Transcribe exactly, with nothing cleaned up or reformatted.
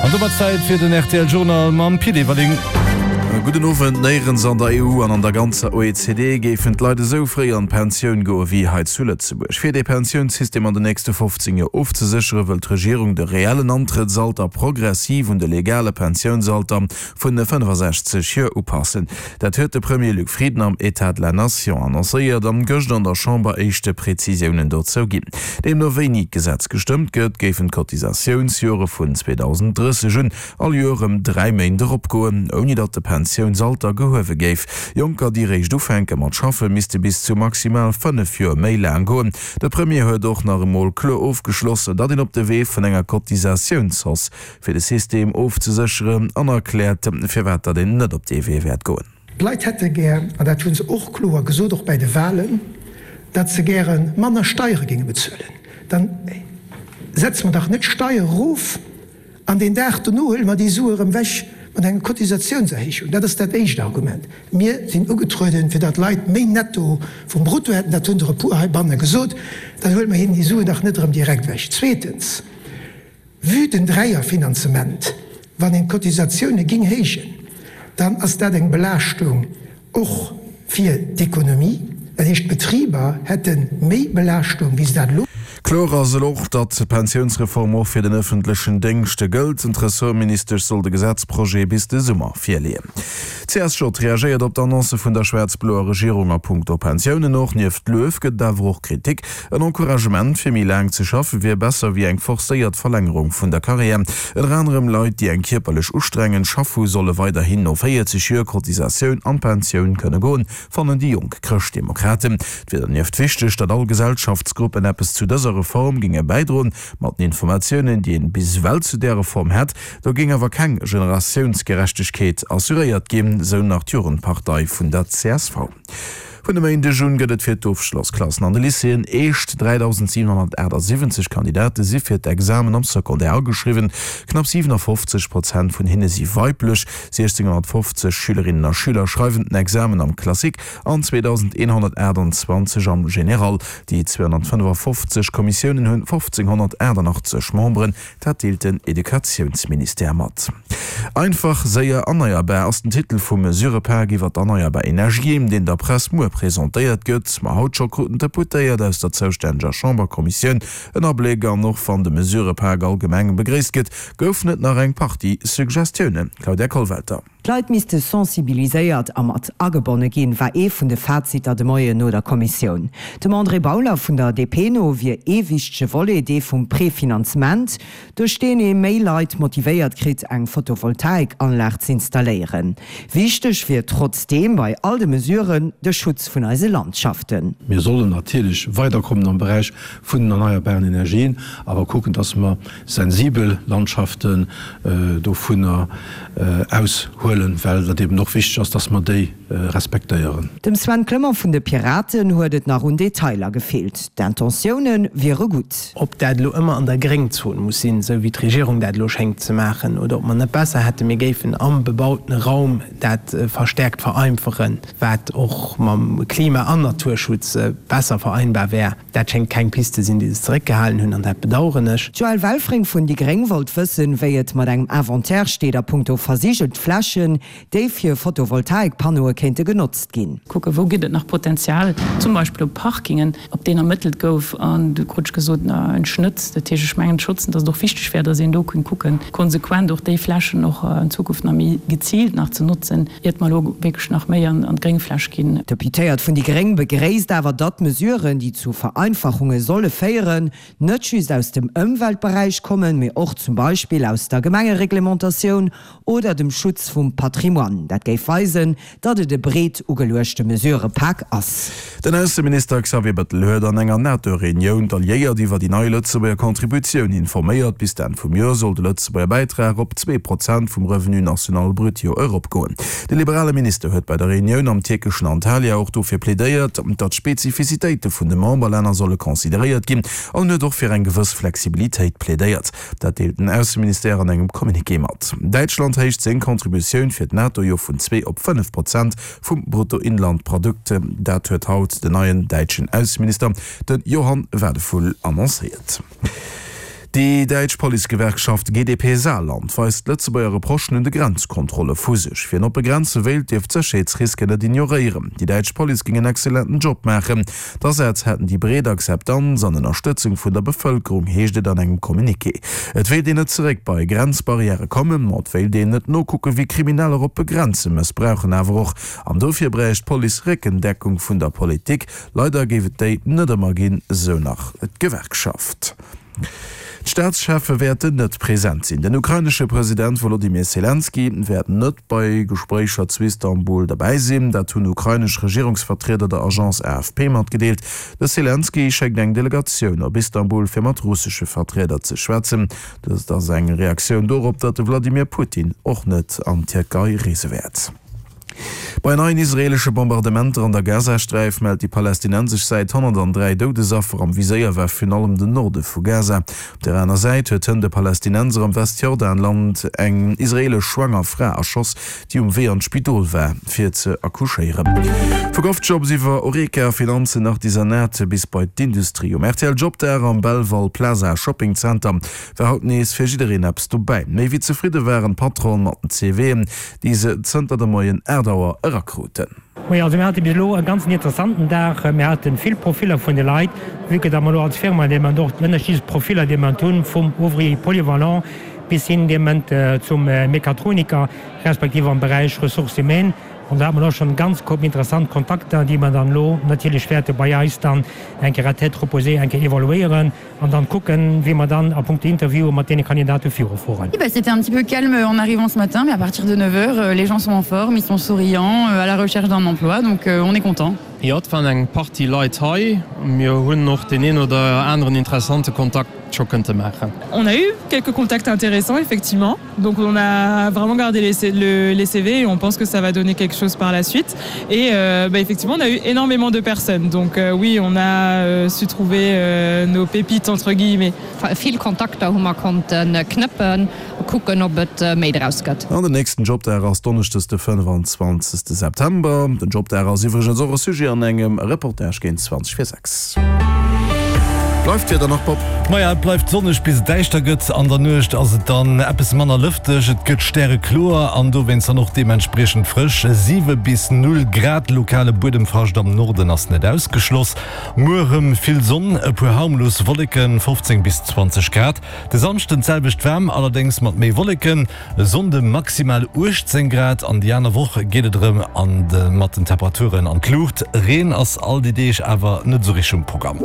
An domat Zäit fir den R T L Journal mam Pit Everling. Gudden Owend. Néierens an der E U an an der ganzer O E C D géifen d'Leit esou fréi an d'Pensioun goe wéi hei zu Lëtzebuerg. Fir dee Pensiounssystem an den nächste fofzéng Joer ofzeséchere wëll d'Regierung de reellen Antrëttsalter progressiv un de legale Pensiounsalter vun fënnefasechzeg Joer upassen. Dat huet de Premier Luc Frieden am État de la Nation annoncéiert an gëscht an der Chamber éischte Prezisiounen dozou ginn. Deemno wéini d'Gesetz gestëmmt gëtt, géifen d'Cotisatiounsjore vun zweedausenddrësseg un all Joer ëm dräi Méint eropgoen, ouni datt de Pensiounsalter gehuewe géif. Jonker, déi réischt ufänke mat schaffe, misste bis zu maximal fënnef Joer méi laang goen. De Premier huet och nach emol kloer ofgeschloss, datt een op de Wee vun enger Cotisatiounshausse fir de System ofzesécheren an erkläert, firwat datt een net op dee Wee wäert goen. D'Leit hätte gär, an dat hu se och kloer gesot, och bei de Wahlen, datt se gäre manner Steiere géinge bezuelen. Dann setze mer dach net Steier erof an den Dag dono huele mer déi Sue erëm weg mat enger Cotisatiounserhéijung. Dat ass dat éischt Argument. Mir sinn ugetrueden, fir datt Leit méi netto vum Brutto hätten, dat hunn der e puer heibanne gesot, dann huele mer hinnen déi Suen dach net erëm direkt weg. Zweetens, vue den Dräierfinanzement, wann een d'Cotisatioune ging héijen, dann ass dat eng Belaaschtung och fir d'Ekonomie. Dat heescht, d'Betriber hätte méi Belaaschtung, wéi se dat elo. Kloer ass elo och, datt d'Pensiounsreform och fir den ëffentlechen Déngscht gëllt. Den Ressortministesch soll de Gesetzprojet bis de Summer virleeën. C S J reagéiert op d'Annonce vun der schwaarz-bloer Regierung a puncto Pensiounen. Och nieft Luef gëtt et awer och Kritik. En Encouragement fir méi laang ze schaffe wier besser wéi eng forcéiert Verlängerung vun der Karriär. Ënner anerem Leit, déi eng kierperlech ustrengend Schaff hu, solle weiderhin no véierzeg Joer Cotisatioun an d'Pensioun kënne goen, fannen déi jonk Chrëschtdemokraten. Et wier dernieft wichteg, datt all Gesellschaftsgruppen eppes zu dëser Reform ginge bäidroen. Mat den Informatiounen, déi een bis ewell zu där Reform hätt, do géing awer keng Generatiounsgerechtegkeet assuréiert ginn, sou nach d'Jugendpartei vun der C S V. Vun dem Méindeg un gëtt et fir d'Ofschlossklassen an de Lycéeën eescht dräidausendsiewenhonnertachtasiwwenzeg Kandidate si fir d'Examen am Secondaire ageschriwwen. Knapp siewenundfofzeg Prozent vun hinne si weiblech. sechzehnhundertfofzeg Schülerinnen a Schüler schreiwen den Examen am Classique an zweitausendeenhundertachtundzwanzeg am General. Déi zweihundertfënnefundfofzeg Kommissiounen hunn fofzehnhundertachtundachtzeg Memberen, dat deelt den Educatiounsministère mat. Einfach, séier, erneierbar ass den Titel vum Mesurepak iwwer d'erneierbar Energien, deen der Press muer presentéiert gëtt. Ma haut scho kruten d'Deputéiert aus der zoustänneger Chamberkommissioun en Abléck an och wann de Mesurepak allgemeng begréisst gëtt, gouf net nach eng Partie Suggestiounen. Claudia Kollwelter. D'Leit misste sensibiliséiert a mat agebonne ginn, war ee vun de Faziter de Moien no der Kommissioun. Dem André Bauler vun der D P no wier ee wichtege Volet dee vum Prefinanzement, duerch deen ee méi Leit motivéiert kritt, eng Photovoltaikanlag ze installéieren. Wichteg wier trotzdeem bei all de Mesuren de Schutz vun eise Landschaften. Mir sollen natierlech weiterkommen am Bereich vun den erneierbaren Energien, awer kucken, dass mer sensibel Landschaften, äh, dovunner, äh, aushuelen, well dat eben och wichteg ass, dass mer déi, äh, respektéieren. Dem Sven Clement vun de Piraten huet et nach un Detailer gefehlt. D'Intentiounen wiere gutt. Ob dat lo ëmmer an der Gréngzon muss sinn, sou wéi d'Regierung dat lo schéngt ze maachen, oder ob man net besser hätte, mir géifen am bebauten Raum dat, äh, verstärkt vereinfachen, wat och mam Klima- an Naturschutz, äh, besser vereinbar wär. Dat schéngt keng Piste sinn, déi se zeréckgehalen hunn, an dat bedauern ech. Joël Welfring vun Die Gréng wollt wëssen, wéi et mat engem Inventaire steet a puncto versiegelt Flächen, déi fir Photovoltaikpannoe kéinte genotzt ginn. Kucke, wou gëtt et nach Potenzial, zum Beispill op Parkingen, op deen ermëttelt gouf an du krutsch gesot, na, en Schnëtt, dat heescht, ech mengen Schutzen, datt et och wichteg wär, datt een do kënnt kucken, konsequent och déi Flächen och in Zukunft nach méi gezielt nach ze nutzen, iert mer lo wierklech nach méi an, an d'Gréngfläch ginn. Deputéiert vun Die Gréng begréisst awer, datt Mesuren, déi zu Vereinfachunge solle féieren, net just aus dem Ëmweltbereich kommen, mee och zum Beispill aus der Gemengereglementatioun oder dem Schutz vum Patrimoine. Dat géif weisen, datt et e breet ugeluechte Mesurepak ass. Den Ausseminister Xavier Bettel huet an enger NATO-Reunioun d'Alliéiert iwwer déi nei Lëtzebuerger Contributioun informéiert. Bis d'Enn vum Joer soll de Lëtzebuerger Bäitrag op zwee Prozent vum Revenu national brut jo eropgoen. De liberale Minister huet bei der Reunioun am tierkeschen Antalya och dofir plädéiert, datt d'Spezifizitéite vun de Memberlänner solle consideréiert ginn an huet och fir eng gewëss Flexibilitéit plädéiert. Dat deelt den Ausseministère an engem Communiqué mat. Däitschland héicht seng Contributioun fir d'NATO jo vun zwee op fënnef Prozent vum Bruttoinlandprodukt. Dat huet haut den neien däitschen Ausseminister, den Johann Wadephul, annoncéiert. Déi däitsch Policegewerkschaft G D P Saarland weist d'Lëtzebuerger Reprochen un de Grenzkontrolle vu sech. Wien oppe Grenze wéilt, dierf d'Sécherheetsrisken net ignoréieren. Déi däitsch Police géing en excellenten Job maachen. D'Asätz hätten déi breet Akzeptanz an Ënnerstëtzung vun der Bevëlkerung, heescht et an engem Communiqué. Et wéilt een net zeréck bei Grenzbarrièrë kommen, ma et wéilt een net nokucken, wéi Krimineller oppe Grenze mëssbrauchen. Awer och an dofir bräicht d'Police Réckendeckung vun der Politik. Leider géif et déi net ëmmer ginn, sou nach d'Gewerkschaft. D'Staatscheffe wäerten net present sinn. Den ukrainesche President Wolodymyr Selenskyj wäert net bei Gespréicher zu Istanbul derbäi sinn. Dat hunn ukrainesch Regierungsvertrieder der Agence A F P matgedeelt. De Selenskyj schéckt eng Delegatioun op Istanbul, fir mat russesche Vertrieder ze schwätzen. Dëst ass eng Reaktioun dorop, datt de Wladimir Putin och net an d'Tierkei reese wäert. Bei neien israeelesche Bombardementer an der Gazasträif mellt déi palästinensesch Säit honnertandräi Doudesaffer. Am Viséier war virun allem den Norde vu Gaza. Op där aner Säit huet hënt e Palästinenser am Westjordanland eng israeelesch schwanger Fra erschoss, déi um Wee an d'Spidol war, fir ze accouchéieren. Vu GovJobs iwwer Horeca, Finanzen, Artisanat bis bei d'Industrie. Um R T L Jobdag am Belval Plaza Shopping Center war haut nees fir jiddereen eppes dobäi. Méi wéi zefridde waren d'Patronen mat den C V'en, déi se zënter de Moien aacht Auer erakruten. Moien, also mir hate bis elo e ganzen interessanten Dag. Mir hate vill Profiller vun de Leit, vue que datt mer elo als Firma dee Moment och déi ënnerschiddlechst Profiller dee Moment hunn, vum Ouvrier polyvalent bis hin dee Moment zum Mechatroniker, respektiv am Beräich Ressources humaines. An do hat mer elo schonn ganz interessant Kontakter, déi mer dann elo natierlech wäerte bei eis dann eng Kéier à tête reposée eng Kéier evaluéieren an dann kucken, wéi mer dann a puncto Interviewen mat deene Kandidate virufueren. Oui, bah, c'était un petit peu calme en arrivant ce matin, mais à partir de neuf heures, les gens sont en forme, ils sont souriants, à la recherche d'un emploi, donc on est content. Jo, et waren eng Partie Leit hei. Mir hunn och deen een oder aneren interessante Kontakt scho kënnte maachen. On a eu quelques contacts intéressants, effectivement. Donc on a vraiment gardé les C-, le, les C V et on pense que ça va donner quelque chose par la suite. Et, euh, bah, effectivement, on a eu énormément de personnes. Donc, euh, oui, on a, euh, su trouver, euh, nos pépites, entre guillemets. Vill Kontakter hu mer konnten knëppen, kucken, ob et méi draus gëtt. An den nächsten Jobdag ass donneschdes de fënnfanzwanzegste September. Den Jobdag ass iwwregens och e Sujet an engem Reportage géint zwanzeg vir sechs. Bleift d'Wieder nach, Bob? Maja, et bleift sonneg bis et däischter gëtt. An der Nuecht ass et dann eppes manner lëfteg. Et gëtt stärekloer an dowéinst dann och deementspriechend frësch. Siwe bis null Grad, lokale Buedemfrascht am Norden ass net ausgeschloss. Muer erëm vill Sonn, e puer harmlos Wolleken, fofzéng bis zwanzeg Grad. De Samschden d'selwecht waarm, allerdéngs mat méi Wolleken. E Sonnde maximal uechtzéng Grad an déi aner Woch geet et erëm an de mat den Temperaturen an d'Luucht. Reen ass all déi Deeg awer net esou richteg um Programm.